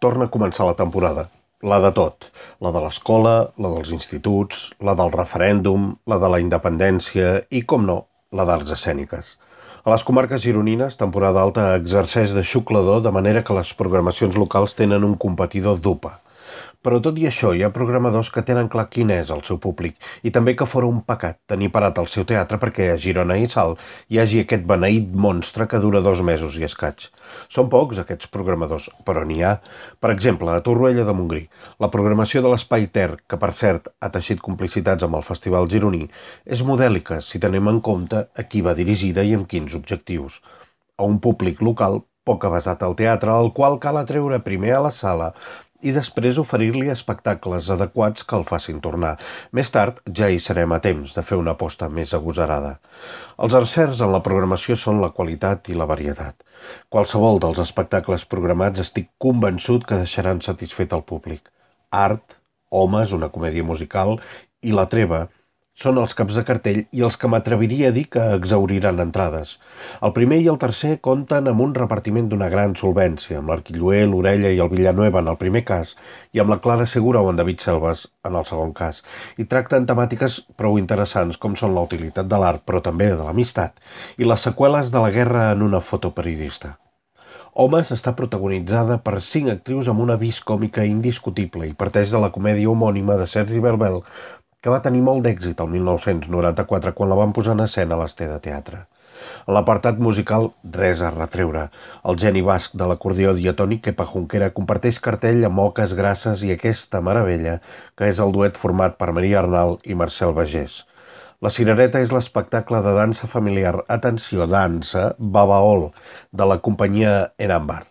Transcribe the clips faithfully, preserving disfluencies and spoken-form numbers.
torna a començar la temporada. La de tot. La de l'escola, la dels instituts, la del referèndum, la de la independència i, com no, la d'arts escèniques. A les comarques gironines, temporada alta exerceix de xuclador de manera que les programacions locals tenen un competidor d'U P A. Però tot i això, hi ha programadors que tenen clar quin és el seu públic i també que fora un pecat tenir parat el seu teatre perquè a Girona i Salt hi hagi aquest beneït monstre que dura dos mesos i escaig. Són pocs aquests programadors, però n'hi ha. Per exemple, a Torroella de Montgrí, la programació de l'Espai Ter, que per cert ha teixit complicitats amb el Festival Gironí, és modèlica si tenim en compte a qui va dirigida i amb quins objectius. A un públic local poc avesat al teatre, al qual cal atreure primer a la sala i després oferir-li espectacles adequats que el facin tornar. Més tard ja hi serem a temps de fer una aposta més agosarada. Els encerts en la programació són la qualitat i la varietat. Qualsevol dels espectacles programats estic convençut que deixaran satisfet el públic. Art, Homes, una comèdia musical, i La Treva són els caps de cartell i els que m'atreviria a dir que exauriran entrades. El primer i el tercer compten amb un repartiment d'una gran solvència, amb l'Arquilloé, l'Orella i el Villanueva en el primer cas i amb la Clara Segura o en David Selves en el segon cas, i tracten temàtiques prou interessants com són la utilitat de l'art, però també de l'amistat, i les seqüeles de la guerra en una foto periodista. Homes està protagonitzada per cinc actrius amb una vis còmica indiscutible i parteix de la comèdia homònima de Sergi Belbel, que va tenir molt d'èxit el mil nou-cents noranta-quatre quan la van posar en escena a l'Ester de Teatre. En l'apartat musical, res a retreure. El geni basc de l'acordió diatònic Kepa Junquera comparteix cartell amb Oques Grasses i aquesta meravella, que és el duet format per Maria Arnal i Marcel Bagés. La Cirereta és l'espectacle de dansa familiar, atenció, dansa, Babaol, de la companyia Enambar.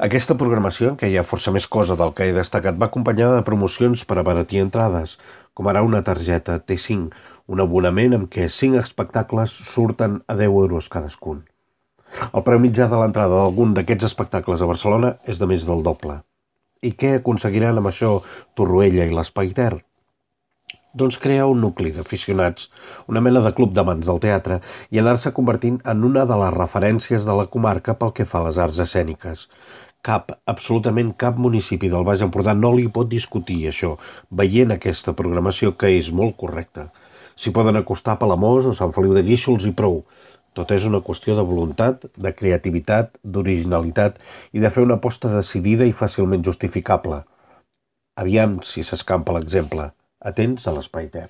Aquesta programació, en què hi ha força més cosa del que he destacat, va acompanyada de promocions per abaratir entrades, com ara una targeta T cinc, un abonament amb què cinc espectacles surten a deu euros cadascun. El preu mitjà de l'entrada d'algun d'aquests espectacles a Barcelona és de més del doble. I què aconseguiran amb això Torroella i l'Espai Ter? Doncs crear un nucli d'aficionats, una mena de club d'amants del teatre, i anar-se convertint en una de les referències de la comarca pel que fa a les arts escèniques. Cap, absolutament cap municipi del Baix Empordà no li pot discutir això, veient aquesta programació que és molt correcta. S'hi poden acostar a Palamós o Sant Feliu de Guíxols i prou. Tot és una qüestió de voluntat, de creativitat, d'originalitat i de fer una aposta decidida i fàcilment justificable. Aviam si s'escampa l'exemple. Atents a l'Espai Ter.